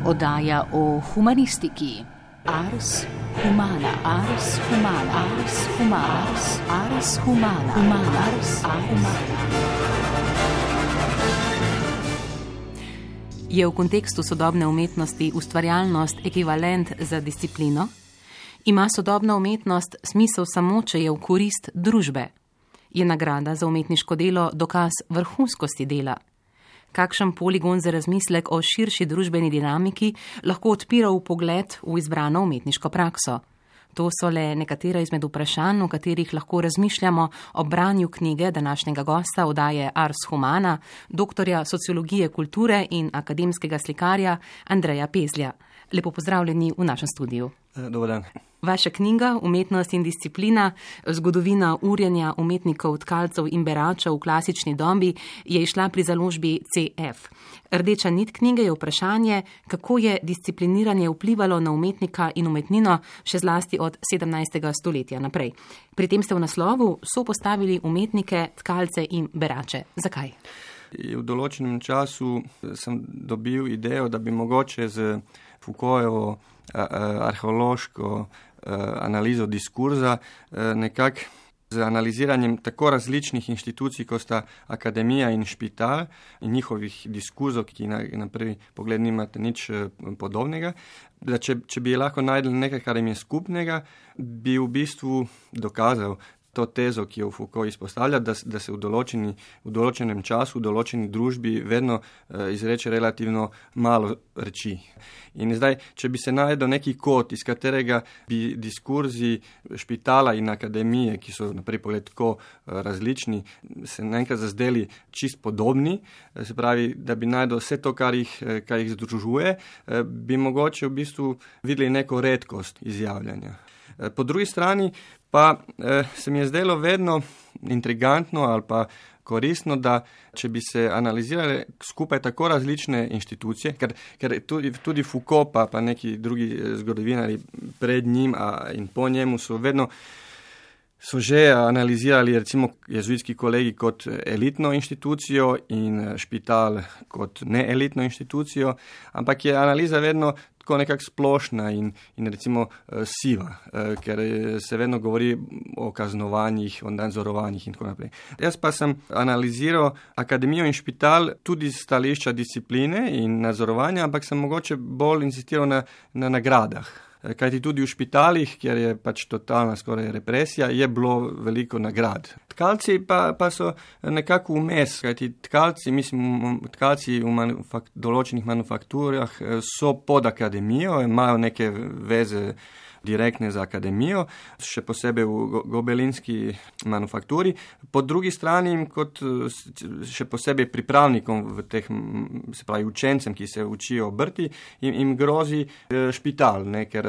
Oddaja o humanistiki. Ars humana, ars humana, ars humana, ars humana, ars humana. Je v kontekstu sodobne umetnosti ustvarjalnost ekvivalent za disciplino? Ima sodobna umetnost smisel samo, če je v korist družbe? Je nagrada za umetniško delo dokaz vrhunskosti dela? Kakšen poligon za razmislek o širši družbeni dinamiki lahko odpira vpogled v izbrano umetniško prakso? To so le nekatera izmed vprašanj, o katerih lahko razmišljamo ob branju knjige današnjega gosta oddaje Ars humana, doktorja sociologije kulture in akademskega slikarja Andreja Pezlja. Lepo pozdravljeni v našem studiu. Dober dan. Vaša knjiga Umetnost in disciplina, zgodovina urjenja umetnikov, tkalcev in beračev v klasični dobi je izšla pri založbi CF. Rdeča nit knjige je vprašanje, kako je discipliniranje vplivalo na umetnika in umetnino še zlasti od 17. stoletja naprej. Pri tem ste v naslovu sopostavili umetnike, tkalce in berače. Zakaj? V določenem času sem dobil idejo, da bi mogoče z Foucaultovo arheološko analizo diskurza nekako z analiziranjem tako različnih inštitucij, kot sta akademija in špital in njihovih diskurzov, ki na prvi pogled nimate nič podobnega, da če bi lahko najdel nekaj, kar jim je skupnega, bi v bistvu dokazal to tezo, ki jo Foucault izpostavlja, da se v določenem času, v določeni družbi vedno izreče relativno malo reči. In zdaj, če bi se najdel neki kod, iz katerega bi diskurzi špitala in akademije, ki so na prvi pogled tako različni, se naenkrat zazdeli čist podobni, se pravi, da bi najdel vse to, kar jih združuje, bi mogoče v bistvu videli neko redkost izjavljanja. Po drugi strani pa se mi je zdelo vedno intrigantno ali pa koristno, da če bi se analizirali skupaj tako različne inštitucije, ker tudi Foucault pa neki drugi zgodovinari pred njim in po njemu so že analizirali recimo jezuitski kolegi kot elitno inštitucijo in špital kot neelitno inštitucijo, ampak je analiza vedno tako nekako splošna in recimo siva, ker se vedno govori o kaznovanjih, o nadzorovanjih in tako naprej. Jaz pa sem analiziral akademijo in špital tudi z stališča discipline in nadzorovanja, ampak sem mogoče bolj insistiral na nagradah. Kajti tudi v špitalih, kjer je pač totalna skoraj represija, je bilo veliko nagrad. Tkalci pa so nekako vmes, kajti tkalci v določenih manufakturah so pod akademijo, imajo neke veze direktne za akademijo, še posebej v gobelinski manufakturi. Po drugi strani, kot še posebej pripravnikom v teh, se pravi učencem, ki se učijo obrti, jim grozi špital, ker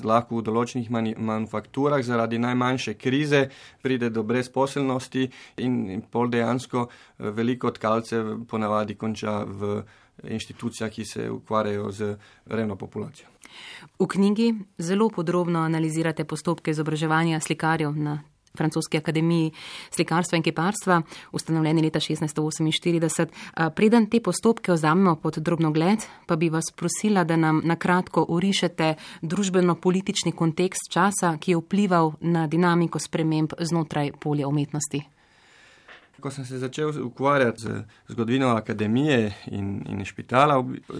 lahko v določenih manufakturah zaradi najmanjše krize pride do brezposelnosti in pol dejansko veliko tkalcev ponavadi konča v inštitucijah, ki se ukvarjajo z revno populacijo. V knjigi zelo podrobno analizirate postopke izobraževanja slikarjev na Francoski akademiji slikarstva in kiparstva, ustanovljeni leta 1648. Preden te postopke vzamemo pod drobnogled, pa bi vas prosila, da nam na kratko orišete družbeno-politični kontekst časa, ki je vplival na dinamiko sprememb znotraj polja umetnosti. Ko sem se začel ukvarjati z zgodovino akademije in špitala,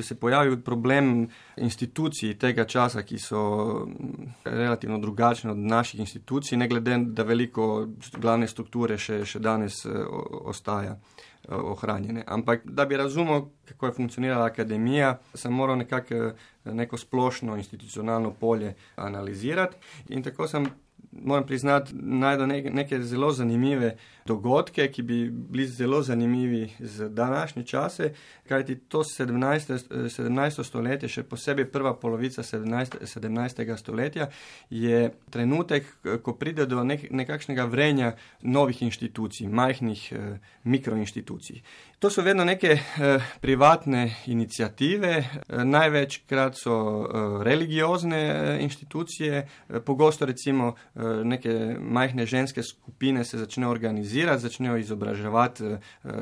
se pojavil problem institucij tega časa, ki so relativno drugačne od naših institucij, ne glede, da veliko glavne strukture še danes ostaja ohranjene. Ampak da bi razumel, kako je funkcionirala akademija, sem moral neko splošno institucionalno polje analizirati in tako sem, moram priznati, najdel neke zelo zanimive dogodke, ki bi bili zelo zanimivi za današnje čase, kajti to 17. stoletje, še posebej prva polovica 17. stoletja, je trenutek, ko pride do nekakšnega vrenja novih inštitucij, majhnih mikroinštitucij. To so vedno neke privatne iniciative, največkrat so religiozne inštitucije, pogosto recimo neke majhne ženske skupine se začnejo organizirati radikalizirati, začnejo izobraževati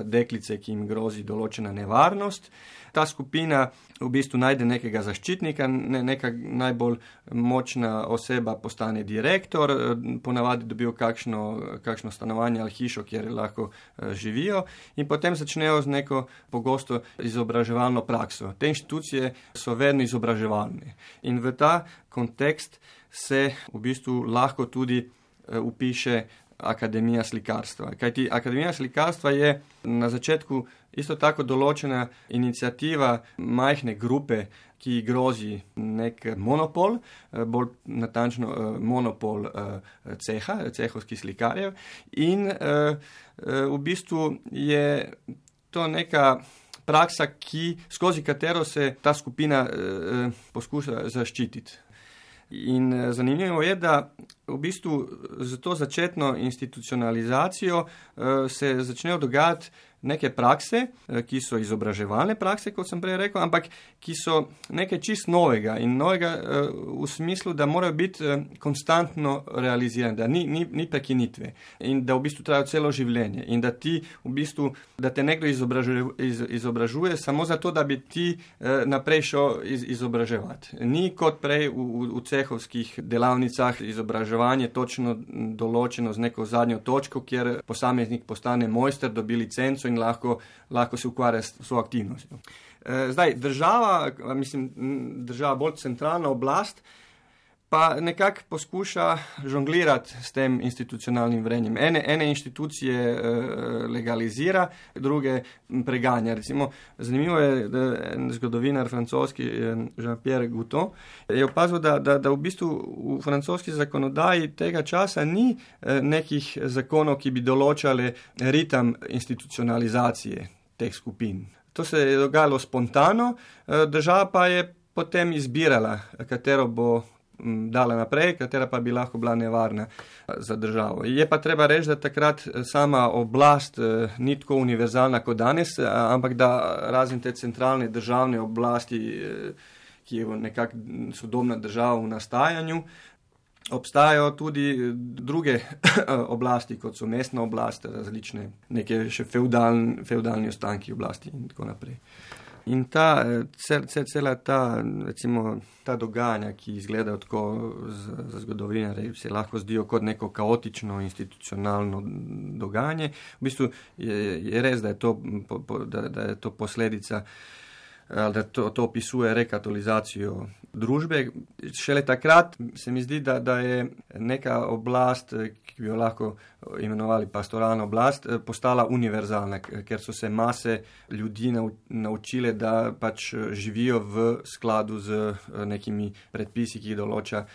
deklice, ki jim grozi določena nevarnost. Ta skupina v bistvu najde nekega zaščitnika, neka najbolj močna oseba postane direktor, ponavadi dobijo kakšno stanovanje ali hišo, kjer lahko živijo in potem začnejo z neko pogosto izobraževalno prakso. Te inštitucije so vedno izobraževalne in v ta kontekst se v bistvu lahko tudi upiše Akademija slikarstva. Kajti Akademija slikarstva je na začetku isto tako določena iniciativa majhne grupe, ki grozi nek monopol, bolj natančno monopol cehovskih slikarjev in v bistvu je to neka praksa, skozi katero se ta skupina poskuša zaščititi. In zanimivo je, da v bistvu z to začetno institucionalizacijo se začnejo dogajati neke prakse, ki so izobraževalne prakse, kot sem prej rekel, ampak ki so nekaj čist novega in novega v smislu, da morajo biti konstantno realizirane, da ni prekinitve in da v bistvu trajajo celo življenje in da da te nekdo izobražuje samo zato, da bi ti naprej šel izobraževati. Ni kot prej v cehovskih delavnicah izobraževanje točno določeno z neko zadnjo točko, kjer posameznik postane mojster, dobi licenco in lahko se ukvarja s svojo aktivnostjo. Zdaj, država bolj centralna oblast, pa nekako poskuša žonglirati s tem institucionalnim vrenjem. Ene inštitucije legalizira, druge preganja. Recimo, zanimivo je, da zgodovinar francoski Jean-Pierre Gouton je opazil, da v bistvu v francoski zakonodaji tega časa ni nekih zakonov, ki bi določali ritem institucionalizacije teh skupin. To se je dogajalo spontano, država pa je potem izbirala, katero bo dala naprej, katera pa bi lahko bila nevarna za državo. Je pa treba reči, da takrat sama oblast ni tako univerzalna kot danes, ampak da razen te centralne državne oblasti, ki je nekako sodobna država v nastajanju, obstajajo tudi druge oblasti, kot so mestna oblast, različne neke še fevdalni ostanki oblasti in tako naprej. In cela ta dogajanja, ki izgledajo tako za zgodovinarje, se lahko zdijo kot neko kaotično institucionalno dogajanje. V bistvu je res, da je to posledica, da to opisuje rekatolizacijo družbe. Šele takrat se mi zdi, da je neka oblast, ki bi jo lahko imenovali pastoralna oblast, postala univerzalna, ker so se mase ljudi naučile, da pač živijo v skladu z nekimi predpisi, ki jih določa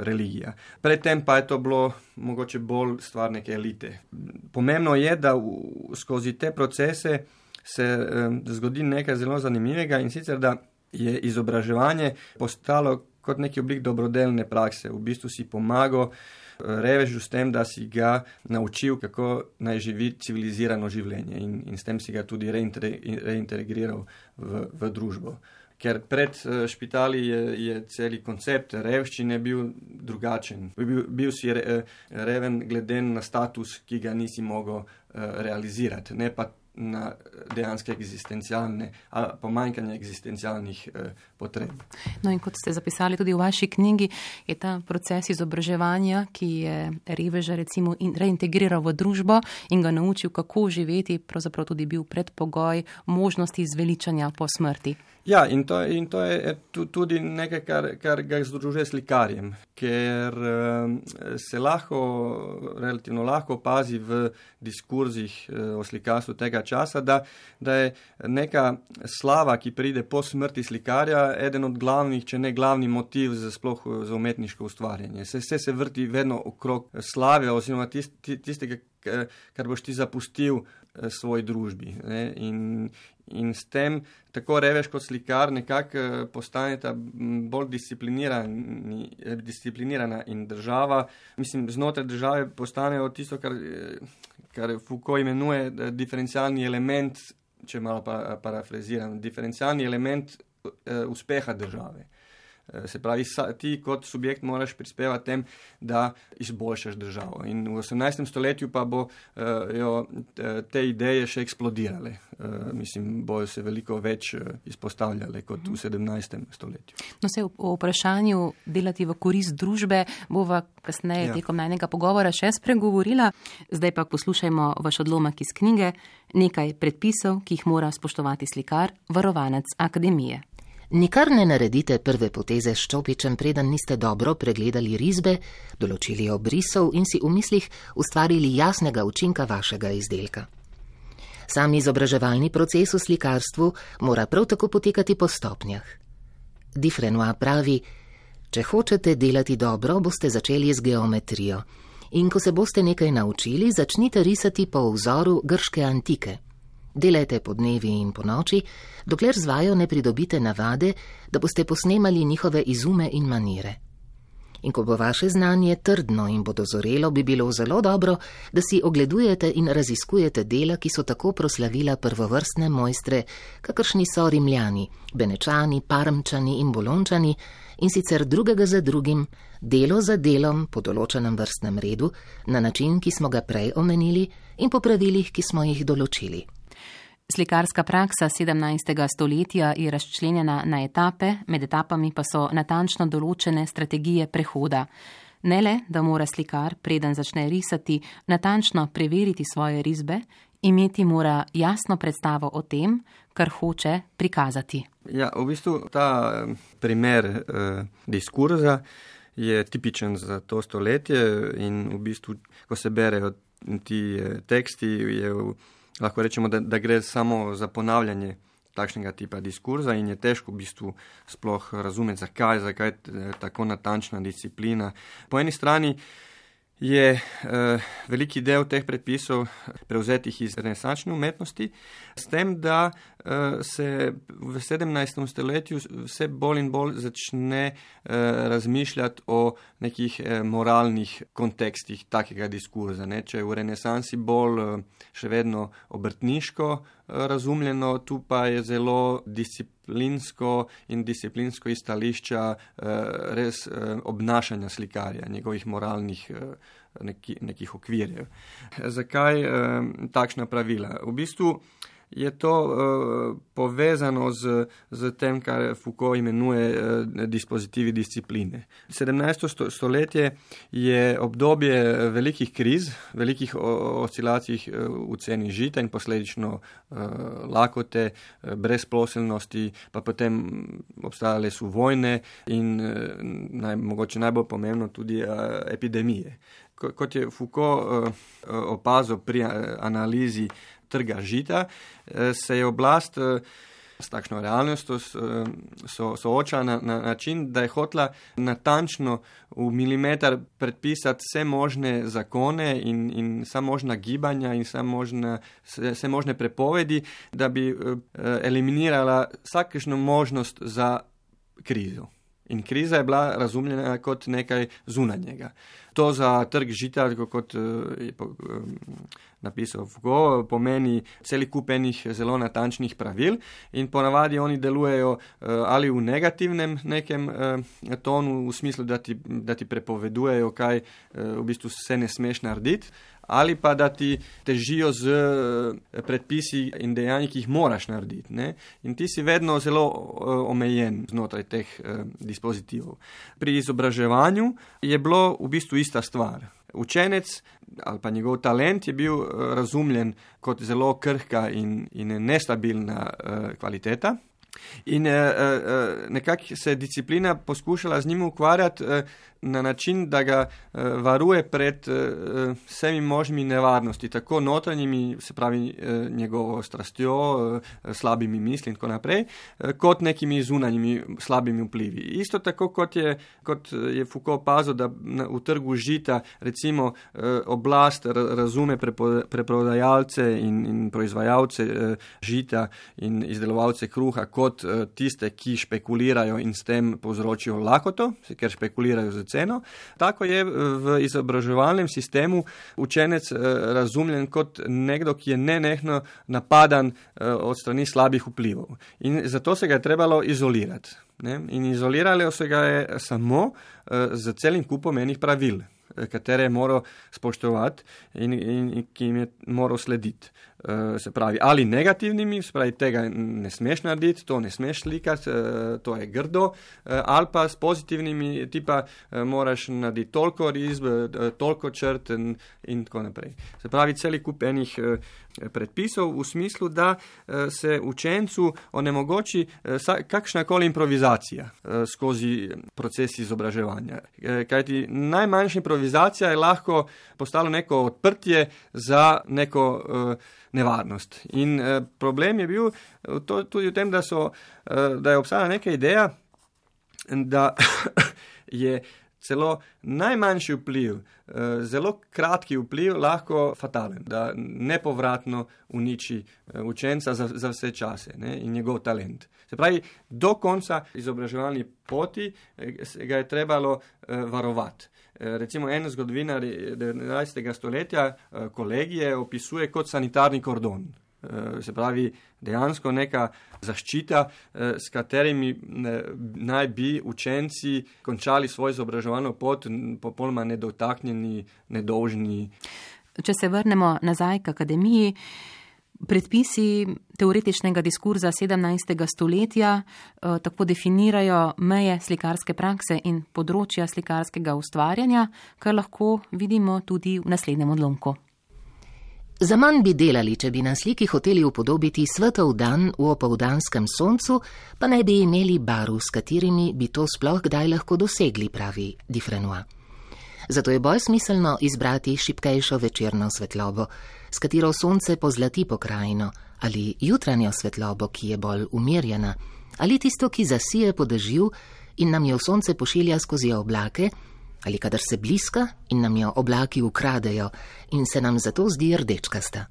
religija. Predtem pa je to bilo mogoče bolj stvar neke elite. Pomembno je, da skozi te procese se zgodi nekaj zelo zanimivega in sicer, da je izobraževanje postalo kot neki oblik dobrodelne prakse. V bistvu si pomagal revežu s tem, da si ga naučil, kako naj živi civilizirano življenje in s tem si ga tudi reintegriral v družbo. Ker pred špitali je celi koncept revščine bil drugačen. Bil si reven glede na status, ki ga nisi mogel realizirati, ne pa na dejanske pomanjkanje eksistencialnih potreb. No in kot ste zapisali tudi v vaši knjigi, je ta proces izobraževanja, ki je reveža recimo reintegriral v družbo in ga naučil, kako živeti, pravzaprav tudi bil predpogoj možnosti zveličanja po smrti. Ja, in to je tudi nekaj, kar ga združuje s slikarjem, ker se relativno lahko opazi v diskurzih o slikarstvu tega časa, da je neka slava, ki pride po smrti slikarja, eden od glavnih, če ne glavni motiv sploh za umetniško ustvarjanje. Vse se vrti vedno okrog slave oziroma tistega, kar boš ti zapustil svoji družbi. Ne? In s tem tako revež kot slikar nekako postaneta bolj disciplinirana in država, znotraj države postanejo tisto, kar Foucault imenuje diferencialni element, če malo parafraziram, diferencialni element uspeha države. Se pravi, ti kot subjekt moraš prispevati tem, da izboljšaš državo. In v 18. stoletju pa bojo te ideje še eksplodirale. Mislim, bojo se veliko več izpostavljale kot v 17. stoletju. No, se o vprašanju delati v korist družbe bova kasneje tekom najnega pogovora še spregovorila. Zdaj pa poslušajmo vaš odlomek iz knjige Nekaj predpisov, ki jih mora spoštovati slikar, varovanec akademije. Nikar ne naredite prve poteze s čopičem, preden niste dobro pregledali risbe, določili obrisov in si v mislih ustvarili jasnega učinka vašega izdelka. Sam izobraževalni proces v slikarstvu mora prav tako potekati po stopnjah. Dufresnoy pravi, če hočete delati dobro, boste začeli z geometrijo in ko se boste nekaj naučili, začnite risati po vzoru grške antike. Delajte po dnevi in po noči, dokler z vajo ne pridobite navade, da boste posnemali njihove izume in manire. In ko bo vaše znanje trdno in bo dozorelo, bi bilo zelo dobro, da si ogledujete in raziskujete dela, ki so tako proslavila prvovrstne mojstre, kakršni so Rimljani, Benečani, Parmčani in Bolončani, in sicer drugega za drugim, delo za delom po določenem vrstnem redu, na način, ki smo ga prej omenili, in po pravilih, ki smo jih določili. Slikarska praksa 17. stoletja je razčlenjena na etape, med etapami pa so natančno določene strategije prehoda. Ne le, da mora slikar, preden začne risati, natančno preveriti svoje risbe, imeti mora jasno predstavo o tem, kar hoče prikazati. Ja, v bistvu ta primer diskurza je tipičen za to stoletje in v bistvu, ko se berejo ti teksti, lahko rečemo, da gre samo za ponavljanje takšnega tipa diskurza in je težko v bistvu sploh razumeti, zakaj tako natančna disciplina. Po eni strani je veliki del teh predpisov prevzetih iz renesančne umetnosti, s tem, da se v 17. stoletju vse bolj in bolj začne razmišljati o nekih moralnih kontekstih takega diskurza. Če je v renesansi bolj še vedno obrtniško razumljeno, tu pa je zelo disciplinsko iz stališča res obnašanja slikarja, njegovih moralnih nekih okvirjev. Zakaj takšna pravila? V bistvu je to povezano z tem, kar Foucault imenuje dispozitivi discipline. 17. stoletje je obdobje velikih kriz, velikih oscilacij v ceni žita in posledično lakote, brezposelnosti, pa potem obstajale so vojne in mogoče najbolj pomembno tudi epidemije. Kot je Foucault opazil pri analizi trga žita, se je oblast s takšno realnostjo soočala na način, da je hotela natančno v milimeter predpisati vse možne zakone in vsa možna gibanja in vse možne prepovedi, da bi eliminirala vsakršno možnost za krizo. In kriza je bila razumljena kot nekaj zunanjega. To za trg žita, kot je napisal Foucault, pomeni celi kup enih zelo natančnih pravil in ponavadi oni delujejo ali v negativnem nekem tonu, v smislu, da ti prepovedujejo, kaj v bistvu se ne smeš narediti, ali pa da ti težijo z predpisi in dejanji, ki jih moraš narediti. Ne? In ti si vedno zelo omejen znotraj teh dispozitivov. Pri izobraževanju je bilo v bistvu ista stvar. Učenec ali pa njegov talent je bil razumljen kot zelo krhka in nestabilna kvaliteta. In nekako se je disciplina poskušala z njim ukvarjati na način, da ga varuje pred vsemi možnimi nevarnosti, tako notranjimi, se pravi njegovo strastjo, slabimi misli in tako naprej, kot nekimi zunanjimi slabimi vplivi. Isto tako, kot je Foucault opazil, da v trgu žita recimo oblast razume preprodajalce in proizvajalce žita in izdelovalce kruha kot tiste, ki špekulirajo in s tem povzročijo lakoto, ker špekulirajo z ceno. Tako je v izobraževalnem sistemu učenec razumljen kot nekdo, ki je nenehno napadan od strani slabih vplivov. In zato se ga je trebalo izolirati. Ne? In izoliralo se ga je samo z celim kupom enih pravil, katere je moral spoštovati in ki jim je moral slediti. Se pravi, ali negativnimi, se pravi, tega ne smeš narediti, to ne smeš slikati, to je grdo, ali pa s pozitivnimi, tipa moraš narediti toliko risb, toliko črt in tako naprej. Se pravi, celi kup enih predpisov v smislu, da se učencu onemogoči kakšnakoli improvizacija skozi proces izobraževanja. Kajti najmanjša improvizacija je lahko postalo neko odprtje za neko nevarnost. In problem je bil tudi v tem, da je obstajala neka ideja, da je celo najmanjši vpliv, zelo kratki vpliv lahko fatalen, da nepovratno uniči učenca za vse čase, ne, in njegov talent. Se pravi, do konca izobraževalni poti ga je trebalo varovati. Recimo en zgodovinar 19. stoletja kolegije opisuje kot sanitarni kordon. Se pravi, dejansko neka zaščita, s katerimi naj bi učenci končali svojo izobraževalno pot popolnoma nedotaknjeni, nedolžni. Če se vrnemo nazaj k akademiji, predpisi teoretičnega diskurza 17. stoletja tako definirajo meje slikarske prakse in področja slikarskega ustvarjanja, kar lahko vidimo tudi v naslednjem odlomku. Zaman bi delali, če bi na sliki hoteli upodobiti svetov dan v opoldanskem soncu, pa ne bi imeli barv, s katerimi bi to sploh kdaj lahko dosegli, pravi Dufresnoy. Zato je bolj smiselno izbrati šibkejšo večerno svetlobo, s katero sonce pozlati pokrajino, ali jutranjo svetlobo, ki je bolj umirjena, ali tisto, ki zasije po dežju in nam jo sonce pošilja skozi oblake, ali kadar se bliska in nam jo oblaki ukradejo in se nam zato zdi rdečkasta.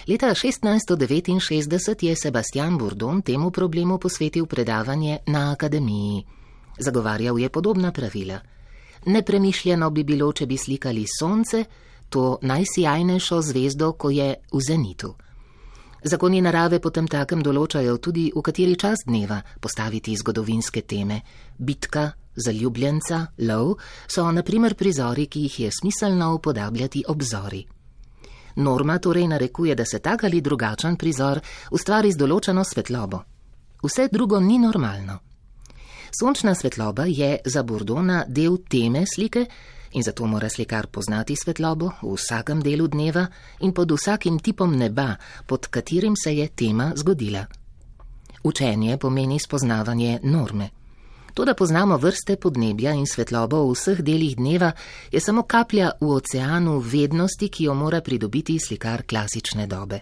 Leta 1669 je Sebastian Bourdon temu problemu posvetil predavanje na akademiji. Zagovarjal je podobna pravila. Nepremišljeno bi bilo, če bi slikali sonce, to najsijajnejšo zvezdo, ko je v zenitu. Zakoni narave potem takem določajo tudi, v kateri čas dneva postaviti zgodovinske teme. Bitka, zaljubljenca, lov so na primer prizori, ki jih je smiselno upodabljati ob zori. Norma torej narekuje, da se tak ali drugačen prizor ustvari z določeno svetlobo. Vse drugo ni normalno. Sončna svetloba je za Bourdona del teme slike in zato mora slikar poznati svetlobo v vsakem delu dneva in pod vsakim tipom neba, pod katerim se je tema zgodila. Učenje pomeni spoznavanje norme. To, da poznamo vrste podnebja in svetlobo v vseh delih dneva, je samo kaplja v oceanu vednosti, ki jo mora pridobiti slikar klasične dobe.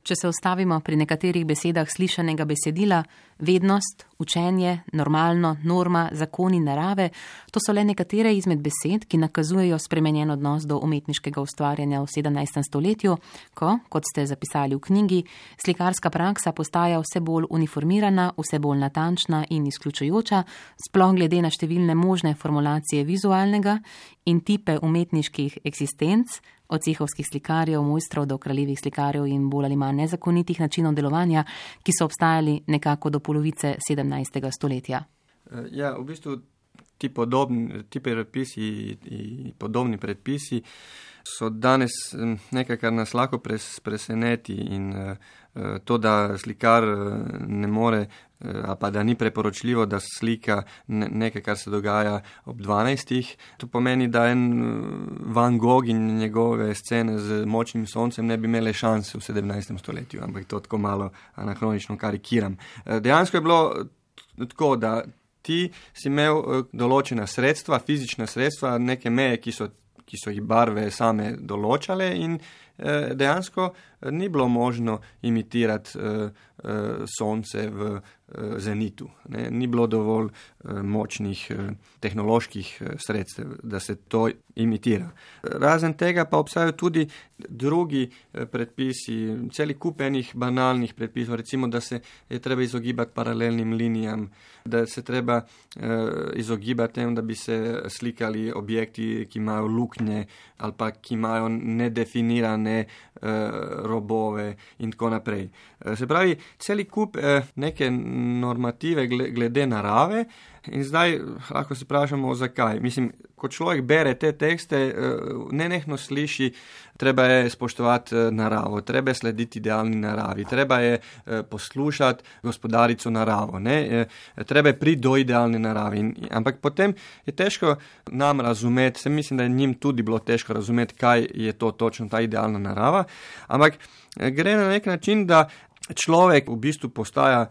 Če se ustavimo pri nekaterih besedah slišanega besedila, vednost, učenje, normalno, norma, zakoni narave, to so le nekatere izmed besed, ki nakazujejo spremenjen odnos do umetniškega ustvarjanja v 17. stoletju, ko, kot ste zapisali v knjigi, slikarska praksa postaja vse bolj uniformirana, vse bolj natančna in izključujoča, sploh glede na številne možne formulacije vizualnega in tipe umetniških eksistenc, od cehovskih slikarjev, mojstrov do kraljevih slikarjev in bolj ali manj nezakonitih načinov delovanja, ki so obstajali nekako do polovice 17. stoletja. Ja, v bistvu ti predpisi in podobni predpisi so danes nekaj, kar nas lahko preseneti in to, da slikar ne more, pa da ni preporočljivo, da slika nekaj, kar se dogaja ob 12. To pomeni, da en Van Gogh in njegove scene z močnim soncem ne bi imele šanse v 17. stoletju, ampak to tako malo anahronično karikiram. Dejansko je bilo tako, da ti si imel določena sredstva, fizična sredstva, neke meje, ki so jih barve same določale dejansko ni bilo možno imitirati sonce v zenitu. Ne? Ni bilo dovolj močnih tehnoloških sredstev, da se to imitira. Razen tega pa obstajajo tudi drugi predpisi, celi kup enih banalnih predpisov, recimo, da se je treba izogibati paralelnim linijam, da se treba izogibati tem, da bi se slikali objekti, ki imajo luknje ali pa ki imajo nedefinirane robove in tako naprej. Se pravi, celi kup neke normative glede narave in zdaj lahko se vprašamo, zakaj. Mislim, ko človek bere te tekste, nenehno sliši, treba je spoštovati naravo, treba je slediti idealni naravi, treba je poslušati gospodarico naravo, ne? Treba je priti do idealne naravi. Ampak potem je težko nam razumeti, se mislim, da je njim tudi bilo težko razumeti, kaj je to točno ta idealna narava, ampak gre na nek način, da človek v bistvu postaja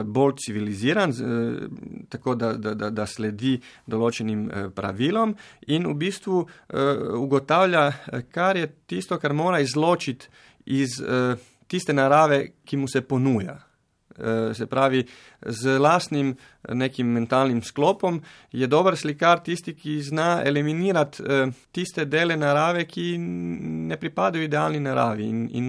bolj civiliziran, tako da sledi določenim pravilom in v bistvu ugotavlja, kar je tisto, kar mora izločiti iz tiste narave, ki mu se ponuja. Se pravi, z lastnim nekim mentalnim sklopom je dober slikar tisti, ki zna eliminirati tiste dele narave, ki ne pripadajo idealni naravi in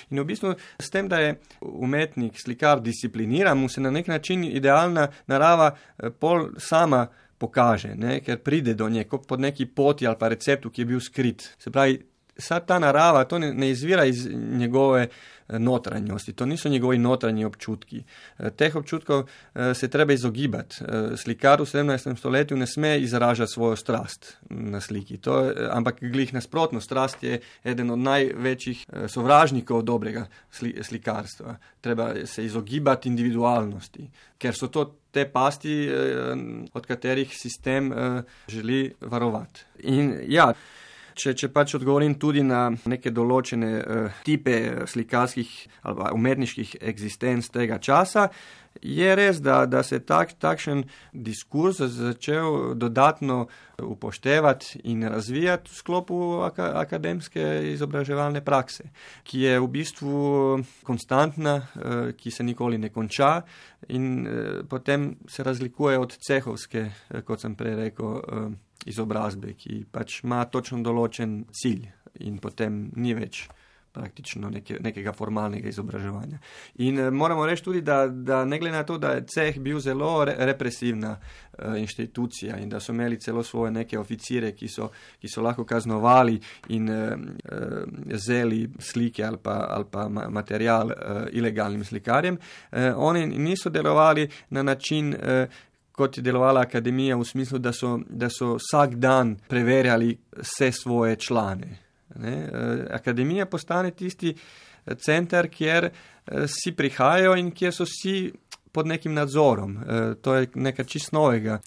v bistvu s tem, da je umetnik, slikar discipliniran, mu se na nek način idealna narava pol sama pokaže, ne? Ker pride do nje pod neki poti ali pa receptu, ki je bil skrit. Se pravi, vsa ta narava, to ne izvira iz njegove notranjosti, to niso njegovi notranji občutki. Teh občutkov se treba izogibati. Slikar v 17. stoletju ne sme izražati svojo strast na sliki. Ampak glih nasprotno, strast je eden od največjih sovražnikov dobrega slikarstva. Treba se izogibati individualnosti, ker so to te pasti, od katerih sistem želi varovati. In ja, Če pač odgovorim tudi na neke določene tipe slikarskih ali umetniških eksistenc tega časa, je res, da se takšen diskurs začel dodatno upoštevati in razvijati v sklopu akademske izobraževalne prakse, ki je v bistvu konstantna, ki se nikoli ne konča in potem se razlikuje od cehovske, kot sem prej rekel, izobrazbe, ki pač ima točno določen cilj in potem ni več praktično nekega formalnega izobraževanja. In moramo reči tudi, da ne glede na to, da je ceh bil zelo represivna inštitucija in da so imeli celo svoje neke oficire, ki so lahko kaznovali in vzeli slike ali pa material ilegalnim slikarjem, oni niso delovali na način, kot je delovala akademija, v smislu, da so vsak dan preverjali vse svoje člane. Ne? Akademija postane tisti center, kjer vsi prihajajo in kjer so vsi pod nekim nadzorom. To je nekaj čisto novega.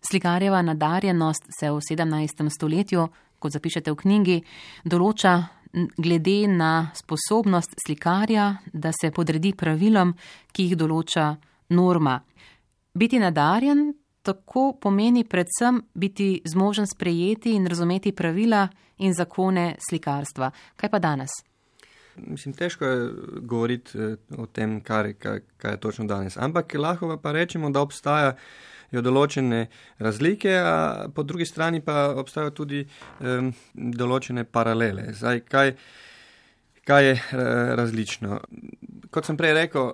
Slikarjeva nadarjenost se v 17. stoletju, kot zapišete v knjigi, določa glede na sposobnost slikarja, da se podredi pravilom, ki jih določa norma. Biti nadarjen tako pomeni predvsem biti zmožen sprejeti in razumeti pravila in zakone slikarstva. Kaj pa danes? Mislim, težko je govoriti o tem, kaj je točno danes. Ampak lahko pa rečemo, da obstajajo določene razlike, a po drugi strani pa obstajajo tudi določene paralele. Zdaj, kaj je različno? Kot sem prej rekel,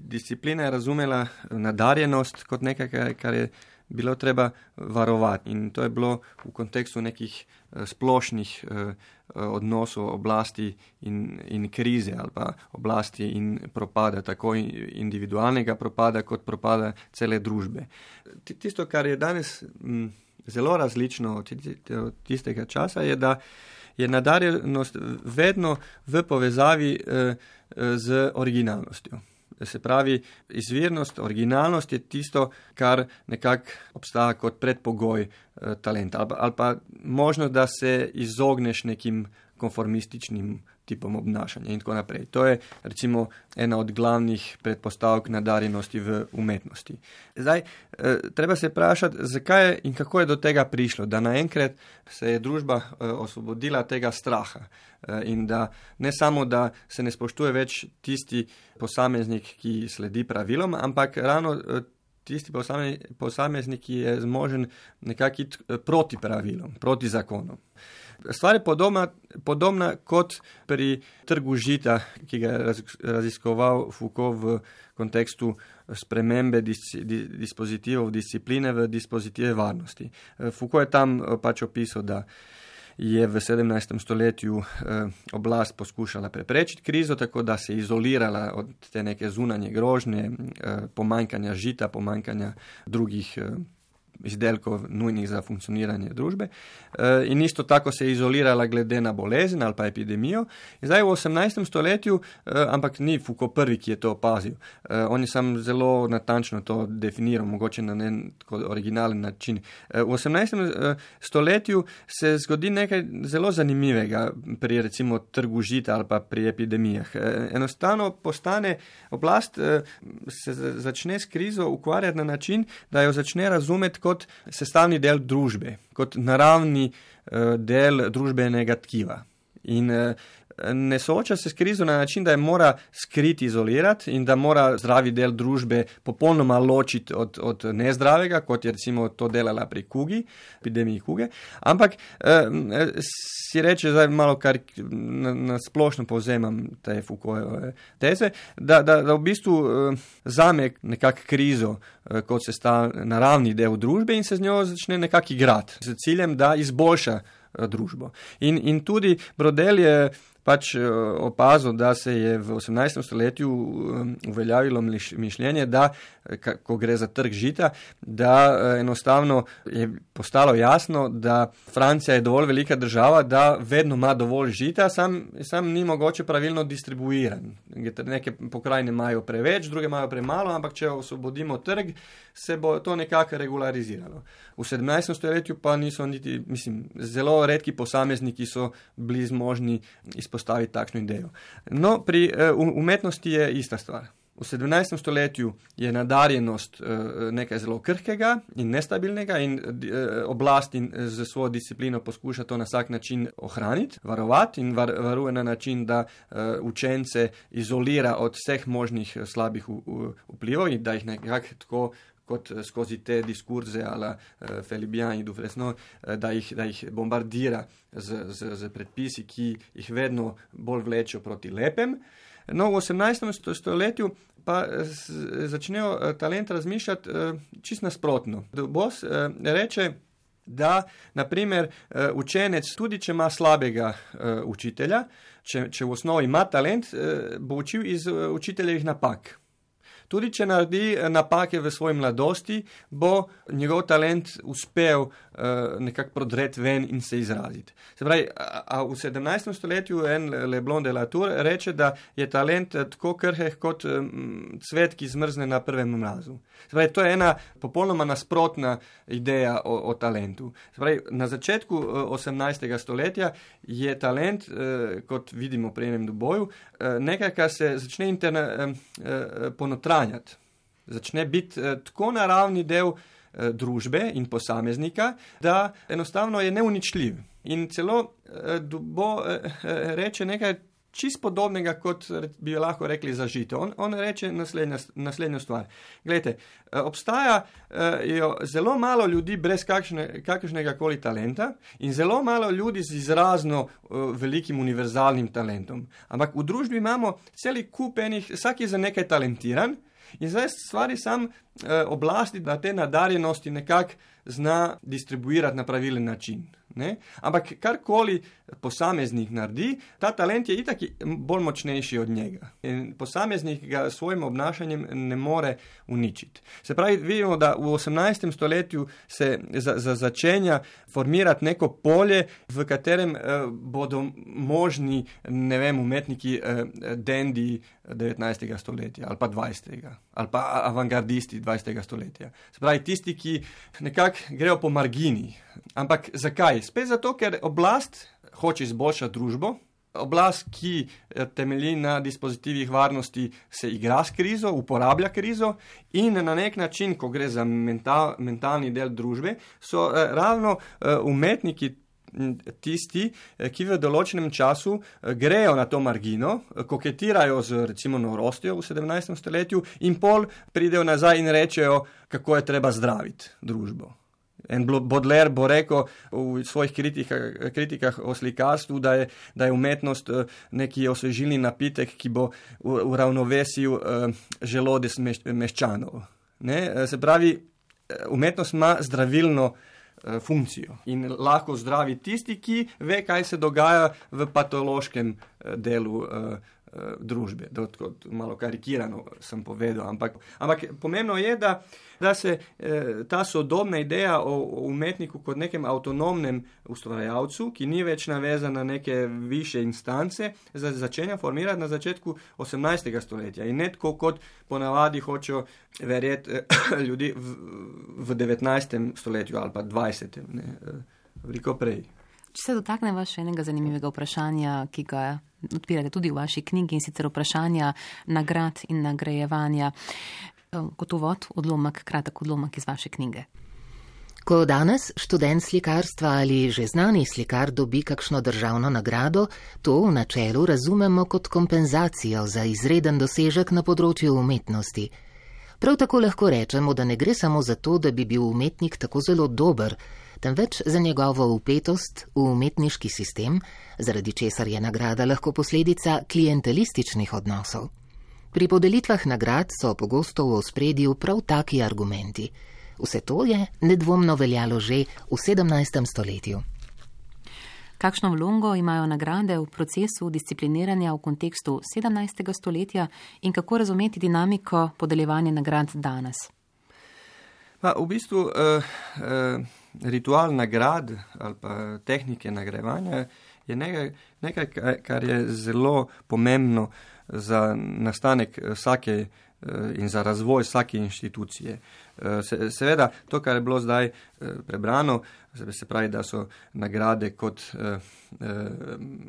disciplina je razumela nadarjenost kot nekaj, kar je bilo treba varovati. In to je bilo v kontekstu nekih splošnih odnosov oblasti in krize ali pa oblasti in propada, tako individualnega propada kot propada cele družbe. Tisto, kar je danes zelo različno od tistega časa, je, da je nadarjenost vedno v povezavi z originalnostjo. Se pravi, izvirnost, originalnost je tisto, kar nekako obstaja kot predpogoj talenta ali pa možnost, da se izogneš nekim konformističnim tipom obnašanja in tako naprej. To je recimo ena od glavnih predpostavk nadarjenosti v umetnosti. Zdaj, treba se vprašati, zakaj je in kako je do tega prišlo, da naenkrat se je družba osvobodila tega straha in da ne samo, da se ne spoštuje več tisti posameznik, ki sledi pravilom, ampak ravno tisti posameznik, ki je zmožen nekako iti proti pravilom, proti zakonom. Stvar je podobna kot pri trgu žita, ki ga je raziskoval Foucault v kontekstu spremembe dispozitivov discipline v dispozitive varnosti. Foucault je tam pač opisal, da je v 17. stoletju oblast poskušala preprečiti krizo, tako da se je izolirala od te neke zunanje grožnje, pomanjkanja žita, pomanjkanja drugih izdelkov nujnih za funkcioniranje družbe. In isto tako se je izolirala glede na bolezen ali pa epidemijo. In zdaj v 18. stoletju, ampak ni Foucault prvi, ki je to opazil. On je sam zelo natančno to definiral, mogoče na tako originalen način. V 18. stoletju se zgodi nekaj zelo zanimivega pri recimo trgu žita ali pa pri epidemijah. Enostavno postane oblast, se začne s krizo ukvarjati na način, da jo začne razumeti kot sestavni del družbe, kot naravni del družbenega tkiva. In ne sooča se s krizo na način, da je mora skriti, izolirati in da mora zdravi del družbe popolnoma ločiti od nezdravega, kot je recimo to delala pri kugi, epidemiji kuge, ampak si reče, zdaj malo kar na splošno povzemam te Foucaultove teze, da v bistvu zame nekak krizo kot naravni del družbe in se z njo začne nekak igrati, z ciljem, da izboljša družbo. In tudi Brodel je pač opazil, da se je v 18. stoletju uveljavilo mišljenje, da, ko gre za trg žita, da enostavno je postalo jasno, da Francija je dovolj velika država, da vedno ima dovolj žita, sam ni mogoče pravilno distribuiran. Neke pokrajine imajo preveč, druge imajo premalo, ampak če osvobodimo trg, se bo to nekako regulariziralo. V 17. stoletju pa niso niti, zelo redki posamezniki so bili zmožni izpostaviti takšno idejo. No, pri umetnosti je ista stvar. V 17. stoletju je nadarjenost nekaj zelo krhkega in nestabilnega in oblast in z svojo disciplino poskuša to na vsak način ohraniti, varovati in varuje na način, da učence izolira od vseh možnih slabih vplivov in da jih nekako tako kot skozi te diskurze ala Felibian in Dufresnoy, da jih bombardira z predpisi, ki jih vedno bolj vlečejo proti lepem. No, v 18. stoletju pa začnejo talent razmišljati čisto nasprotno. Boss reče, da naprimer učenec, tudi če ima slabega učitelja, če v osnovi ima talent, bo učil iz učiteljevih napak. Tudi če naredi napake v svoji mladosti, bo njegov talent uspel nekako prodreti ven in se izraziti. Se pravi, a v 17. stoletju en Leblond de Latour reče, da je talent tako krhek kot cvet, ki zmrzne na prvem mrazu. Se pravi, to je ena popolnoma nasprotna ideja o talentu. Se pravi, na začetku 18. stoletja je talent, kot vidimo pri enem Duboju, nekaj, kar se začne ponotranjati. Začne biti tako naravni del družbe in posameznika, da enostavno je neuničljiv. In celo Dubo reče nekaj čist podobnega, kot bi lahko rekli za žito. On reče naslednjo stvar. Glejte, obstajajo zelo malo ljudi brez kakršnega koli talenta in zelo malo ljudi z izrazno velikim univerzalnim talentom. Ampak v družbi imamo celi kup enih, vsak je za nekaj talentiran in zdaj stvari sam oblasti, da te nadarjenosti nekako zna distribuirati na pravilen način. Ne? Ampak karkoli posameznik naredi, ta talent je itak bolj močnejši od njega. In posameznik ga s svojim obnašanjem ne more uničiti. Se pravi, vidimo, da v 18. stoletju se začenja formirati neko polje, v katerem bodo možni, umetniki dendi 19. stoletja ali pa 20. ali pa avangardisti 20. stoletja. Se pravi, tisti, ki nekako grejo po margini. Ampak zakaj? Spet zato, ker oblast hoče izboljšati družbo Oblast, ki temelji na dispozitivih varnosti, se igra s krizo, uporablja krizo in na nek način, ko gre za mentalni del družbe, so ravno umetniki tisti, ki v določenem času grejo na to margino, koketirajo z recimo norostjo v 17. stoletju in pol pridejo nazaj in rečejo, kako je treba zdraviti družbo. En Baudelaire bo rekel v svojih kritikah o slikarstvu, da je umetnost neki osvežilni napitek, ki bo uravnovesil želodec meščanov. Ne? Se pravi, umetnost ima zdravilno funkcijo in lahko zdravi tisti, ki ve, kaj se dogaja v patološkem delu družbe. Malo karikirano sem povedal, ampak pomembno je, da se ta sodobna ideja o umetniku kot nekem avtonomnem ustvarjalcu, ki ni več navezan na neke više instance, začenja formirati na začetku 18. stoletja in ne tako kot ponavadi hočejo verjeti ljudi v 19. stoletju ali pa 20. Veliko prej. Če se dotakneva še enega zanimivega vprašanja, ki ga odpirate tudi v vaši knjigi, in sicer vprašanja nagrad in nagrajevanja. Kot uvod, kratek odlomek iz vaše knjige. Ko danes študent slikarstva ali že znani slikar dobi kakšno državno nagrado, to v načelu razumemo kot kompenzacijo za izreden dosežek na področju umetnosti. Prav tako lahko rečemo, da ne gre samo za to, da bi bil umetnik tako zelo dober, temveč za njegovo vpetost v umetniški sistem, zaradi česar je nagrada lahko posledica klientelističnih odnosov. Pri podelitvah nagrad so pogosto v ospredju prav taki argumenti. Vse to je nedvomno veljalo že v 17. stoletju. Kakšno vlogo imajo nagrade v procesu discipliniranja v kontekstu 17. stoletja in kako razumeti dinamiko podeljevanja nagrad danes? V bistvu ritual nagrad ali pa tehnike nagrajevanja je nekaj, kar je zelo pomembno za nastanek vsake in za razvoj vsake inštitucije. Seveda, to, kar je bilo zdaj prebrano, se pravi, da so nagrade kot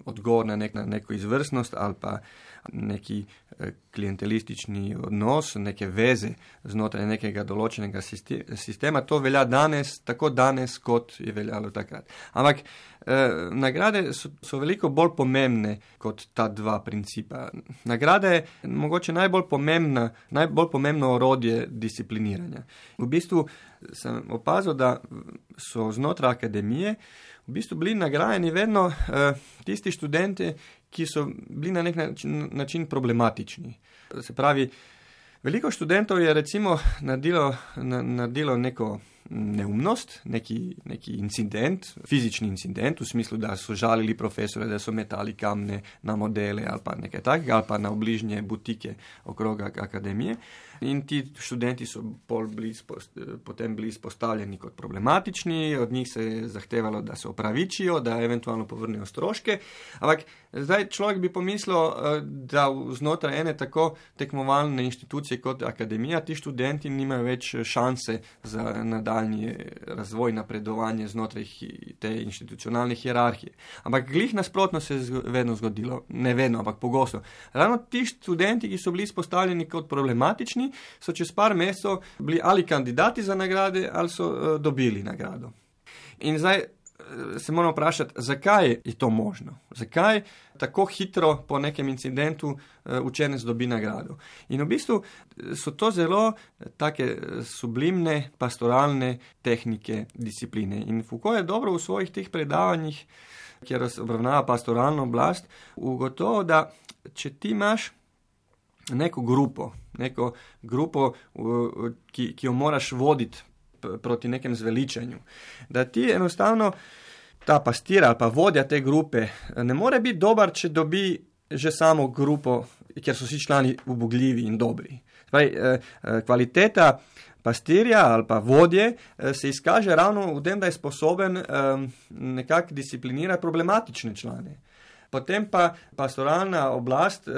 odgovor na neko izvrstnost ali pa neki klientelistični odnos, neke veze znotraj nekega določenega sistema, to velja danes, tako danes, kot je veljalo takrat. Ampak nagrade so veliko bolj pomembne kot ta dva principa. Nagrada je mogoče najbolj pomembno orodje discipliniranja. V bistvu sem opazil, da so znotraj akademije v bistvu bili nagrajeni vedno tisti študenti, ki so bili na nek način problematični. Se pravi, veliko študentov je recimo naredilo neko neumnost, neki incident, fizični incident, v smislu, da so žalili profesore, da so metali kamne na modele ali pa nekaj takega, ali pa na obližnje butike okrog akademije. In ti študenti so potem bili izpostavljeni kot problematični, od njih se je zahtevalo, da se opravičijo, da eventualno povrnejo stroške. Ampak zdaj človek bi pomislil, da znotraj ene tako tekmovalne inštitucije kot akademija, ti študenti nimajo več šanse za nadaljnji razvoj, napredovanje znotraj te institucionalne hierarhije. Ampak glih nasprotno se je vedno zgodilo, ne vedno, ampak pogosto. Ravno ti študenti, ki so bili izpostavljeni kot problematični, so čez par mesecev bili ali kandidati za nagrade, ali so dobili nagrado. In zdaj se moramo vprašati, zakaj je to možno? Zakaj tako hitro po nekem incidentu učenec dobi nagrado? In v bistvu so to zelo take sublimne, pastoralne tehnike discipline. In Foucault je dobro v svojih teh predavanjih, kjer obravnava pastoralno oblast, ugotovil, da če ti imaš neko grupo, ki jo moraš voditi proti nekem zveličanju, da ti enostavno ta pastir ali pa vodja te grupe ne more biti dober, če dobi že samo grupo, kjer so vsi člani ubogljivi in dobri. Kvaliteta pastirja ali pa vodje se izkaže ravno v tem, da je sposoben nekako disciplinirati problematične člane. Potem pa pastoralna oblast,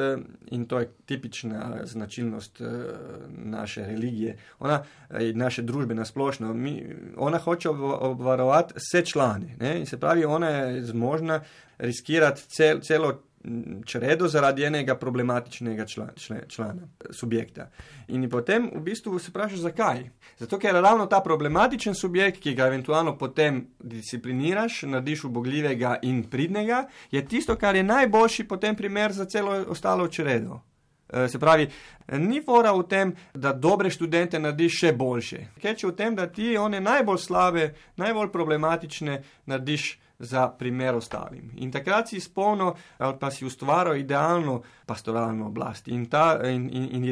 in to je tipična značilnost naše religije, naše družbe nasplošno, ona hoče obvarovati vse člane, ne? In se pravi, ona je zmožna riskirati celo čredo zaradi enega problematičnega člana, subjekta. In potem v bistvu se vprašaš, zakaj? Zato, ker ravno ta problematičen subjekt, ki ga eventualno potem discipliniraš, narediš ubogljivega in pridnega, je tisto, kar je najboljši potem primer za celo ostalo čredo. Se pravi, ni fora v tem, da dobre študente narediš še boljše. Keče v tem, da ti one najbolj slabe, najbolj problematične narediš za primer ostalim. In takrat si izpolnil ali pa si ustvaril idealno pastoralno oblast in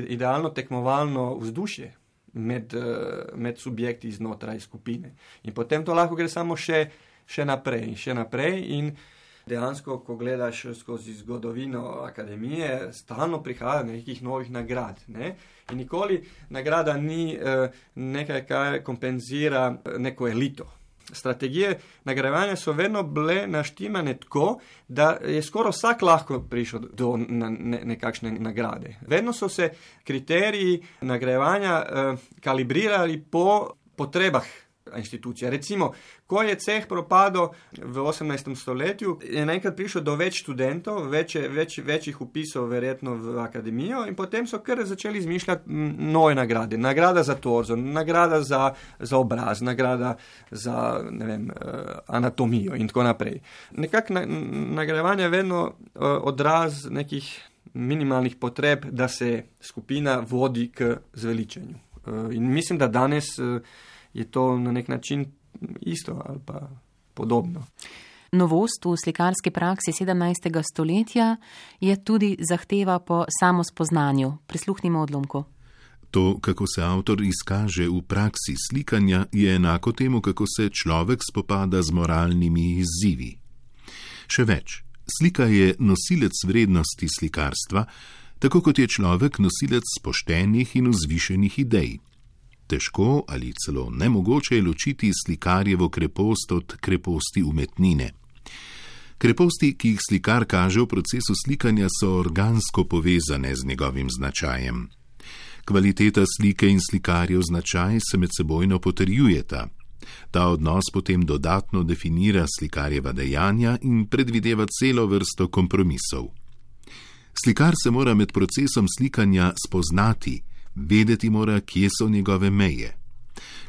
idealno tekmovalno vzdušje med subjekti znotraj skupine. In potem to lahko gre samo še naprej in dejansko, ko gledaš skozi zgodovino akademije, stalno prihaja nekih novih nagrad. Ne? In nikoli nagrada ni nekaj, kar kompenzira neko elito. Strategije nagrajevanja so vedno bile naštimane tako, da je skoraj vsak lahko prišel do nekakšne nagrade. Vedno so se kriteriji nagrajevanja kalibrirali po potrebah inštitucija. Recimo, ko je ceh propadel v 18. stoletju, je naenkrat prišlo do več študentov, večjih upisov verjetno v akademijo in potem so kar začeli izmišljati nove nagrade. Nagrada za torzo, nagrada za obraz, nagrada za, anatomijo in tako naprej. Nekako nagrajevanje je vedno odraz nekih minimalnih potreb, da se skupina vodi k zveličenju. In mislim, da danes je to na nek način isto ali pa podobno. Novost v slikarski praksi 17. stoletja je tudi zahteva po samospoznanju. Prisluhnimo odlomku. To, kako se avtor izkaže v praksi slikanja, je enako temu, kako se človek spopada z moralnimi izzivi. Še več, slika je nosilec vrednosti slikarstva, tako kot je človek nosilec poštenih in vzvišenih idej. Težko ali celo nemogoče je ločiti slikarjevo krepost od kreposti umetnine. Kreposti, ki jih slikar kaže v procesu slikanja, so organsko povezane z njegovim značajem. Kvaliteta slike in slikarjev značaj se med sebojno potrjujeta. Ta odnos potem dodatno definira slikarjeva dejanja in predvideva celo vrsto kompromisov. Slikar se mora med procesom slikanja spoznati, vedeti mora, kje so njegove meje.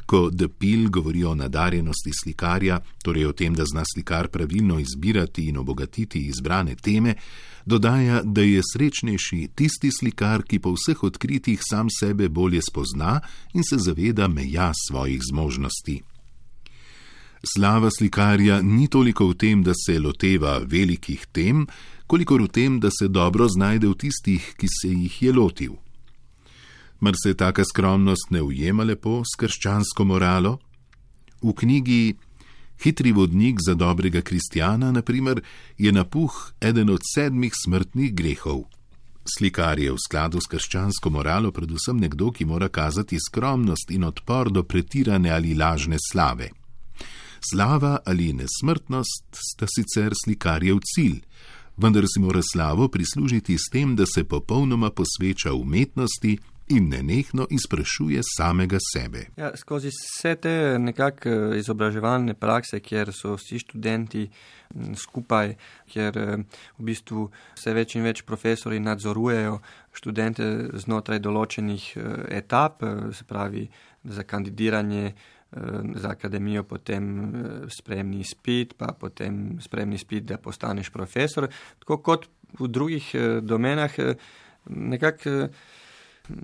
Ko De Pil govori o nadarjenosti slikarja, torej o tem, da zna slikar pravilno izbirati in obogatiti izbrane teme, dodaja, da je srečnejši tisti slikar, ki po vseh odkritjih sam sebe bolje spozna in se zaveda meja svojih zmožnosti. Slava slikarja ni toliko v tem, da se loteva velikih tem, kolikor v tem, da se dobro znajde v tistih, ki se jih je lotil. Mar se taka skromnost ne ujema lepo s krščansko moralo? V knjigi Hitri vodnik za dobrega kristjana, na primer, je napuh eden od 7 smrtnih grehov. Slikar je v skladu s krščansko moralo predvsem nekdo, ki mora kazati skromnost in odpor do pretirane ali lažne slave. Slava ali nesmrtnost sta sicer slikarjev cilj, vendar si mora slavo prislužiti s tem, da se popolnoma posveča umetnosti in nenehno izprašuje samega sebe. Ja, skozi vse te nekako izobraževalne prakse, kjer so vsi študenti skupaj, kjer v bistvu vse več in več profesori nadzorujejo študente znotraj določenih etap, se pravi za kandidiranje za akademijo, potem sprejemni izpit, pa potem sprejemni izpit, da postaneš profesor. Tako kot v drugih domenah, nekako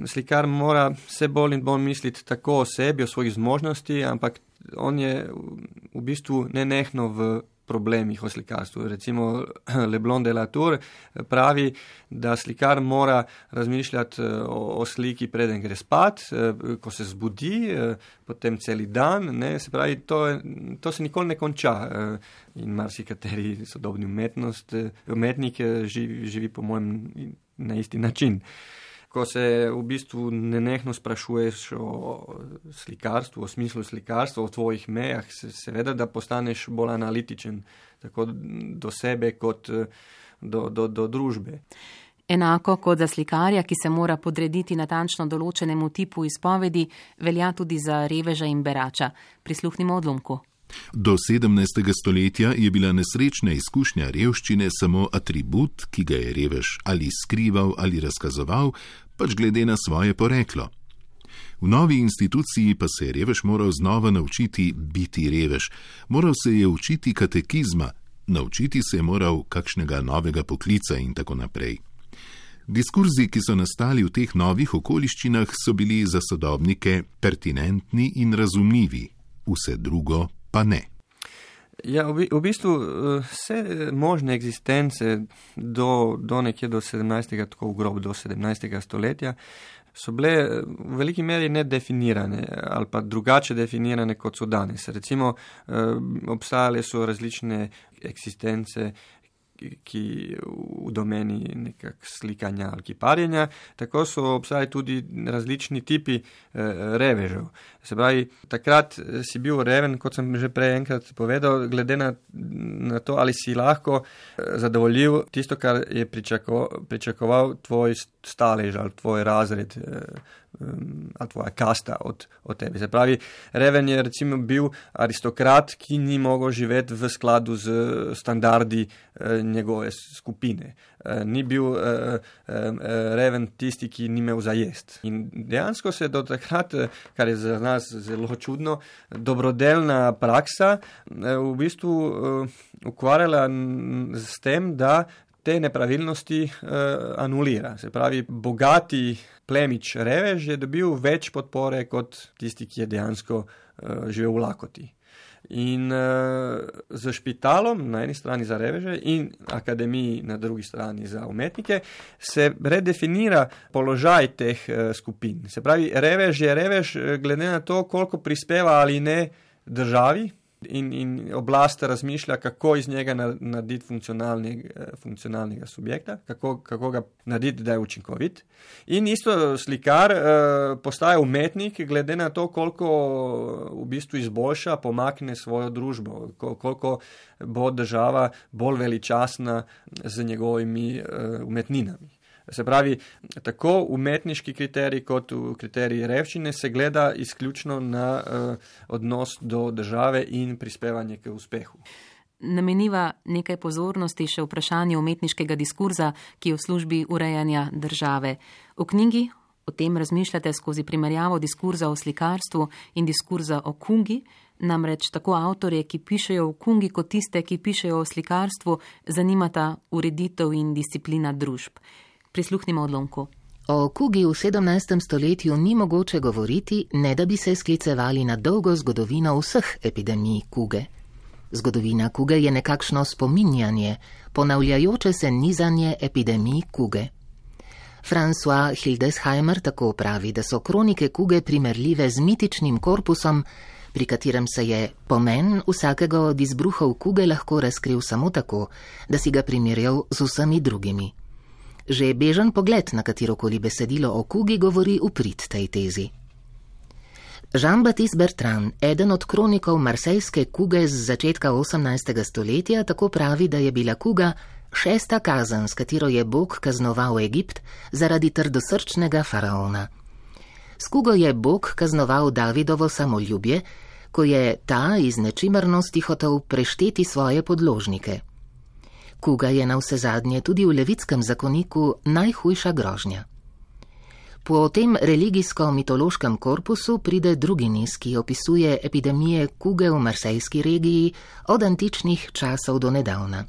slikar mora vse bolj in bolj misliti tako o sebi, o svojih zmožnosti, ampak on je v bistvu nenehno v problemih o slikarstvu. Recimo Leblond de la Tour pravi, da slikar mora razmišljati o sliki preden gre spat, ko se zbudi, potem celi dan, ne, se pravi, to se nikoli ne konča in marsikateri sodobni umetnik živi po mojem na isti način. Ko se v bistvu nenehno sprašuješ o slikarstvu, o smislu slikarstva, o tvojih mejah, seveda, da postaneš bolj analitičen, tako do sebe kot do družbe. Enako kot za slikarja, ki se mora podrediti natančno določenemu tipu izpovedi, velja tudi za reveža in berača. Prisluhnimo odlomku. Do 17. stoletja je bila nesrečna izkušnja revščine samo atribut, ki ga je revež ali skrival ali razkazoval, pač glede na svoje poreklo. V novi instituciji pa se je revež moral znova naučiti biti revež, moral se je učiti katekizma, naučiti se je moral kakšnega novega poklica in tako naprej. Diskurzi, ki so nastali v teh novih okoliščinah, so bili za sodobnike pertinentni in razumljivi, vse drugo pa ne. Ja, v bistvu vse možne eksistence do nekje do 17. tako v grob do 17. stoletja so bile v veliki meri nedefinirane ali pa drugače definirane, kot so danes. Recimo, obstajale so različne eksistence, ki v domeni nekak slikanja ali kiparjenja, tako so obstajali tudi različni tipi revežev. Se pravi, takrat si bil reven, kot sem že prej enkrat povedal, glede na to, ali si lahko zadovoljil tisto, kar je pričakoval tvoj stalež ali tvoj razred ali tvoja kasta od tebe. Se pravi, reven je recimo bil aristokrat, ki ni mogel živeti v skladu z standardi njegove skupine. Ni bil reven tisti, ki ni imel za jest. In dejansko se do takrat, kar je za nas zelo čudno, dobrodelna praksa v bistvu ukvarjala s tem, da te nepravilnosti anulira. Se pravi, bogati plemič revež je dobil več podpore kot tisti, ki je dejansko živel v lakoti. In z špitalom na eni strani za reveže in akademiji na drugi strani za umetnike se redefinira položaj teh skupin. Se pravi, revež je revež glede na to, koliko prispeva ali ne državi, in oblast razmišlja, kako iz njega narediti funkcionalnega subjekta, kako ga narediti, da je učinkovit. In isto slikar postaja umetnik glede na to, koliko v bistvu izboljša, pomakne svojo družbo, koliko bo država bolj veličastna z njegovimi umetninami. Se pravi, tako umetniški kriterij kot kriterij revščine se gleda izključno na odnos do države in prispevanje k uspehu. Nameniva nekaj pozornosti še vprašanju umetniškega diskurza, ki je v službi urejanja države. V knjigi o tem razmišljate skozi primerjavo diskurza o slikarstvu in diskurza o kungi, namreč tako avtorje, ki pišejo o kungi, kot tiste, ki pišejo o slikarstvu, zanimata ureditev in disciplina družb. Prisluhnimo odlomku. O kugi v 17. stoletju ni mogoče govoriti, ne da bi se sklicevali na dolgo zgodovino vseh epidemij kuge. Zgodovina kuge je nekakšno spominjanje, ponavljajoče se nizanje epidemij kuge. François Hildesheimer tako pravi, da so kronike kuge primerljive z mitičnim korpusom, pri katerem se je pomen vsakega od izbruhov kuge lahko razkril samo tako, da si ga primerjal z vsemi drugimi. Že bežen pogled na katerokoli besedilo o kugi govori v prid tej tezi. Jean-Baptiste Bertrand, eden od kronikov marsejske kuge z začetka 18. stoletja, tako pravi, da je bila kuga 6. kazen, s katero je Bog kaznoval Egipt zaradi trdosrčnega faraona. S kugo je Bog kaznoval Davidovo samoljubje, ko je ta iz nečimrnosti hotel prešteti svoje podložnike. Kuga je navsezadnje tudi v levitskem zakoniku najhujša grožnja. Po tem religijsko-mitološkem korpusu pride drugi niz, ki opisuje epidemije kuge v marsejski regiji od antičnih časov do nedavna.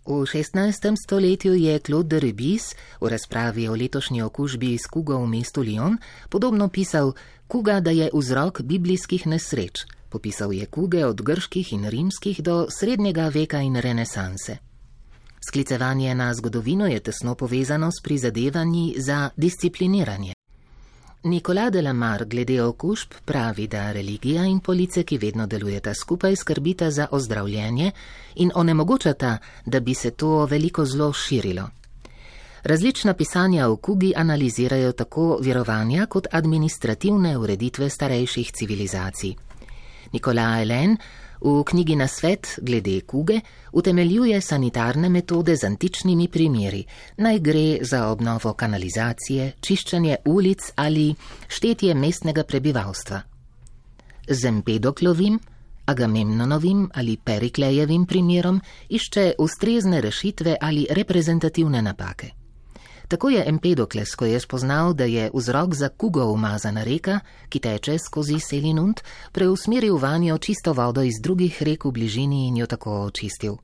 V 16. stoletju je Claude de Rubis v razpravi o letošnji okužbi s kugo v mestu Lyon podobno pisal kuga, da je vzrok biblijskih nesreč. Popisal je kuge od grških in rimskih do srednjega veka in renesanse. Sklicevanje na zgodovino je tesno povezano s prizadevanji za discipliniranje. Nicolas de la Mare glede okužb pravi, da religija in police, ki vedno delujeta skupaj, skrbita za ozdravljenje in onemogočata, da bi se to veliko zlo širilo. Različna pisanja o kugi analizirajo tako verovanja kot administrativne ureditve starejših civilizacij. Nicolas Hélène v knjigi Nasvet glede kuge utemeljuje sanitarne metode z antičnimi primeri, naj gre za obnovo kanalizacije, čiščenje ulic ali štetje mestnega prebivalstva. Z Empedoklovim, Agamemnonovim ali Periklejevim primerom išče ustrezne rešitve ali reprezentativne napake. Tako je Empedokles, ko je spoznal, da je vzrok za kugo umazana reka, ki teče skozi Selinunt, preusmeril vanjo čisto vodo iz drugih rek v bližini in jo tako očistil.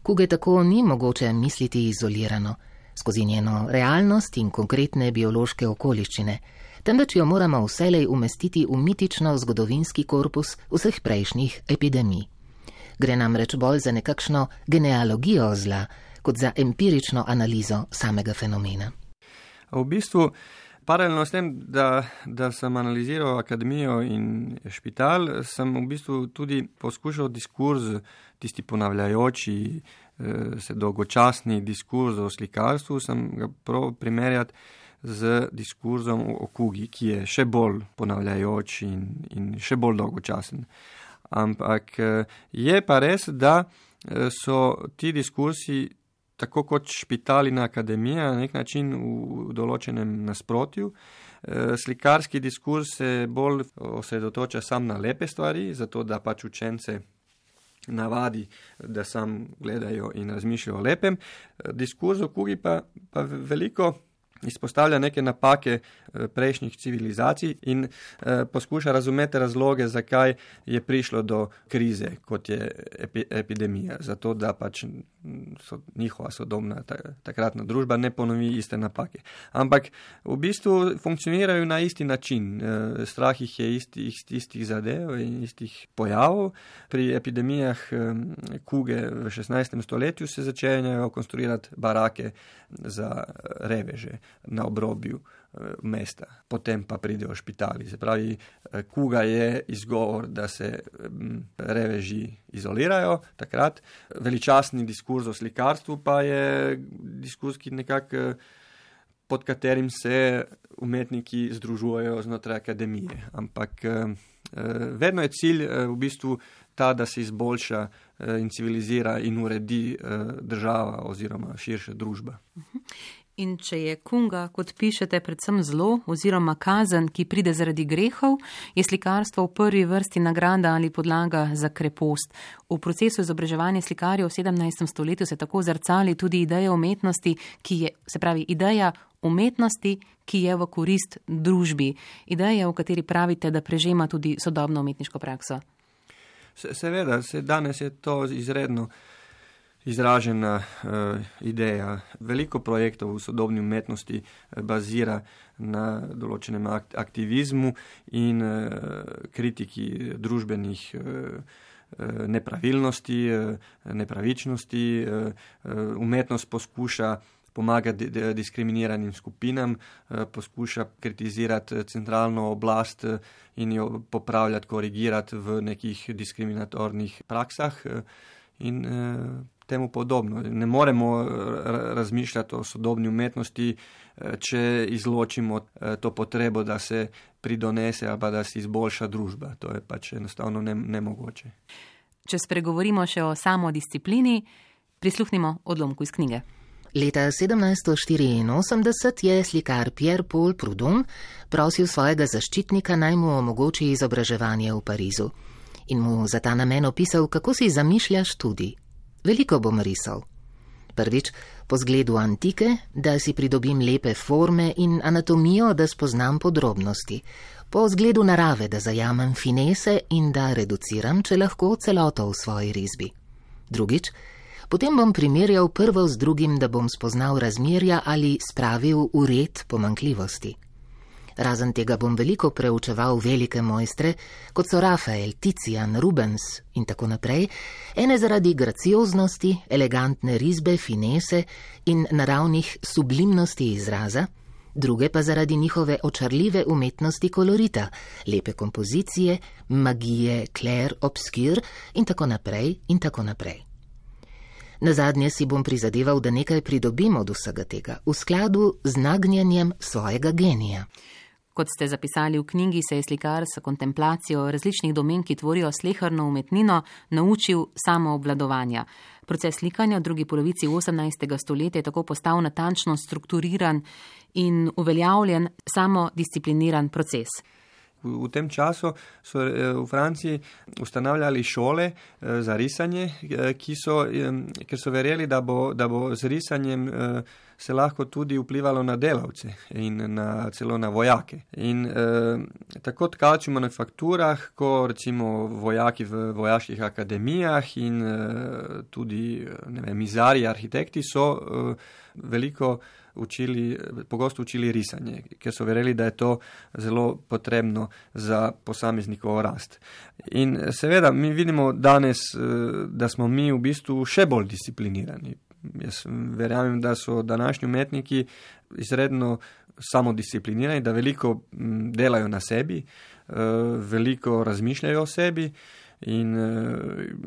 Kuge tako ni mogoče misliti izolirano, skozi njeno realnost in konkretne biološke okoliščine, temveč jo moramo vselej umestiti v mitično zgodovinski korpus vseh prejšnjih epidemij. Gre namreč bolj za nekakšno genealogijo zla, kot za empirično analizo samega fenomena. V bistvu, paralelno s tem, da sem analiziral akademijo in špital, sem v bistvu tudi poskušal diskurz, tisti ponavljajoči se dolgočasni diskurz o slikarstvu, sem ga prav primerjati z diskurzom o kugi, ki je še bolj ponavljajoč in še bolj dolgočasen. Ampak je pa res, da so ti diskursi tako kot špital in akademija, na nek način v določenem nasprotju. Slikarski diskurs se bolj osredotoča sam na lepe stvari, zato da pač učence navadi, da sam gledajo in razmišljajo o lepem. Diskurs o kugi pa veliko izpostavlja neke napake prejšnjih civilizacij in poskuša razumeti razloge, zakaj je prišlo do krize, kot je epidemija. Zato, da pač njihova sodobna takratna družba ne ponovi iste napake. Ampak v bistvu funkcionirajo na isti način. Strah jih je istih zadev in istih pojavov. Pri epidemijah kuge v 16. stoletju se začenjajo konstruirati barake za reveže na obrobju mesta. Potem pa pridejo špitali. Se pravi, kuga je izgovor, da se reveži izolirajo takrat. Veličastni diskurz o slikarstvu pa je diskurz, ki nekako pod katerim se umetniki združujejo znotraj akademije. Ampak vedno je cilj v bistvu ta, da se izboljša in civilizira in uredi država oziroma širša družba. In če je kunga, kot pišete, predvsem zlo oziroma kazen, ki pride zaradi grehov, je slikarstvo v prvi vrsti nagrada ali podlaga za krepost. V procesu izobraževanja slikarjev v 17. stoletju se tako zrcali tudi ideja umetnosti, ideja umetnosti, ki je v korist družbi. Ideja, v kateri pravite, da prežema tudi sodobno umetniško prakso. Seveda, danes je to izredno izražena ideja. Veliko projektov v sodobni umetnosti bazira na določenem aktivizmu in kritiki družbenih nepravilnosti, nepravičnosti. Umetnost poskuša pomagati diskriminiranim skupinam, poskuša kritizirati centralno oblast in jo popravljati, korigirati v nekih diskriminatornih praksah in temu podobno. Ne moremo razmišljati o sodobni umetnosti, če izločimo to potrebo, da se pridonese ali pa da se izboljša družba. To je pač enostavno nemogoče. Če spregovorimo še o samodisciplini, prisluhnimo odlomku iz knjige. Leta 1784 je slikar Pierre-Paul Prudhomme prosil svojega zaščitnika, naj mu omogoči izobraževanje v Parizu in mu za ta namen opisal, kako si zamišlja študij. Veliko bom risal. Prvič, po zgledu antike, da si pridobim lepe forme in anatomijo, da spoznam podrobnosti. Po zgledu narave, da zajamem finese in da reduciram, če lahko, celoto v svoji risbi. Drugič, potem bom primerjal prvo z drugim, da bom spoznal razmerja ali spravil v red pomanjkljivosti. Razen tega bom veliko preučeval velike mojstre, kot so Rafael, Tician, Rubens in tako naprej, ene zaradi gracioznosti, elegantne risbe, finese in naravnih sublimnosti izraza, druge pa zaradi njihove očarljive umetnosti kolorita, lepe kompozicije, magije, clair, obscur in tako naprej in tako naprej. Nazadnje si bom prizadeval, da nekaj pridobim od vsega tega, v skladu z nagnjenjem svojega genija. Kot ste zapisali v knjigi, se je slikar s kontemplacijo različnih domen, ki tvorijo sleherno umetnino, naučil samoobvladovanja. Proces slikanja v drugi polovici 18. stoletja je tako postal natančno strukturiran in uveljavljen samodiscipliniran proces. V tem času so v Franciji ustanavljali šole za risanje, ker so verjeli, da bo z risanjem se lahko tudi vplivalo na delavce in celo na vojake. In tako tkači v manufakturah, ko recimo vojaki v vojaških akademijah in tudi mizarji, arhitekti so pogosto učili risanje, ker so verjeli, da je to zelo potrebno za posameznikovo rast. In seveda mi vidimo danes, da smo mi v bistvu še bolj disciplinirani. Jaz verjamem, da so današnji umetniki izredno samodisciplinirani, da veliko delajo na sebi, veliko razmišljajo o sebi. In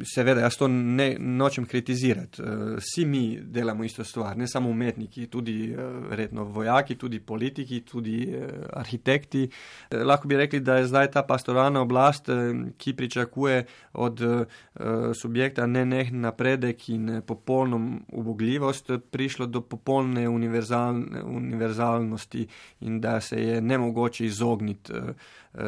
seveda, jaz to ne nočem kritizirati. Vsi mi delamo isto stvar, ne samo umetniki, tudi verjetno vojaki, tudi politiki, tudi arhitekti. Lahko bi rekli, da je zdaj ta pastoralna oblast, ki pričakuje od subjekta nenehen napredek in popolno ubogljivost, prišlo do popolne univerzalnosti in da se je nemogoče izogniti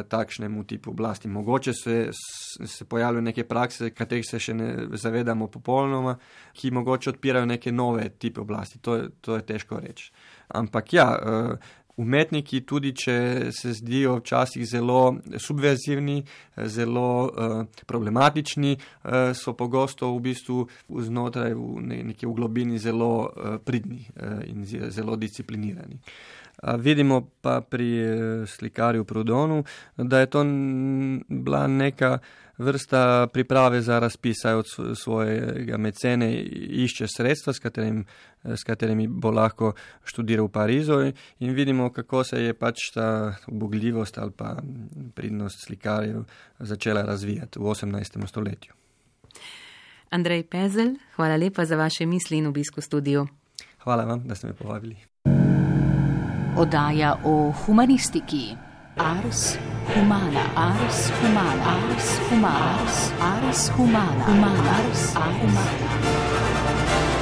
takšnemu tipu oblasti. Mogoče se pojavljajo neke prakse, katerih se še ne zavedamo popolnoma, ki mogoče odpirajo neke nove tipe oblasti. To je težko reči. Ampak ja, umetniki, tudi če se zdijo včasih zelo subverzivni, zelo problematični, so pogosto v bistvu znotraj v globini zelo pridni in zelo disciplinirani. Vidimo pa pri slikarju Proudhonu, da je to bila neka vrsta priprave za razpis, saj od svojega mecene išče sredstva, s katerimi bo lahko študiral v Parizu, in vidimo, kako se je pač ta ubogljivost ali pa pridnost slikarjev začela razvijati v 18. stoletju. Andrej Pezelj, hvala lepa za vaše misli in obisk v studiu. Hvala vam, da ste me povabili. Oddaja o humanistiki. Ars humana, ars humana, ars humana, ars humana, ars humana.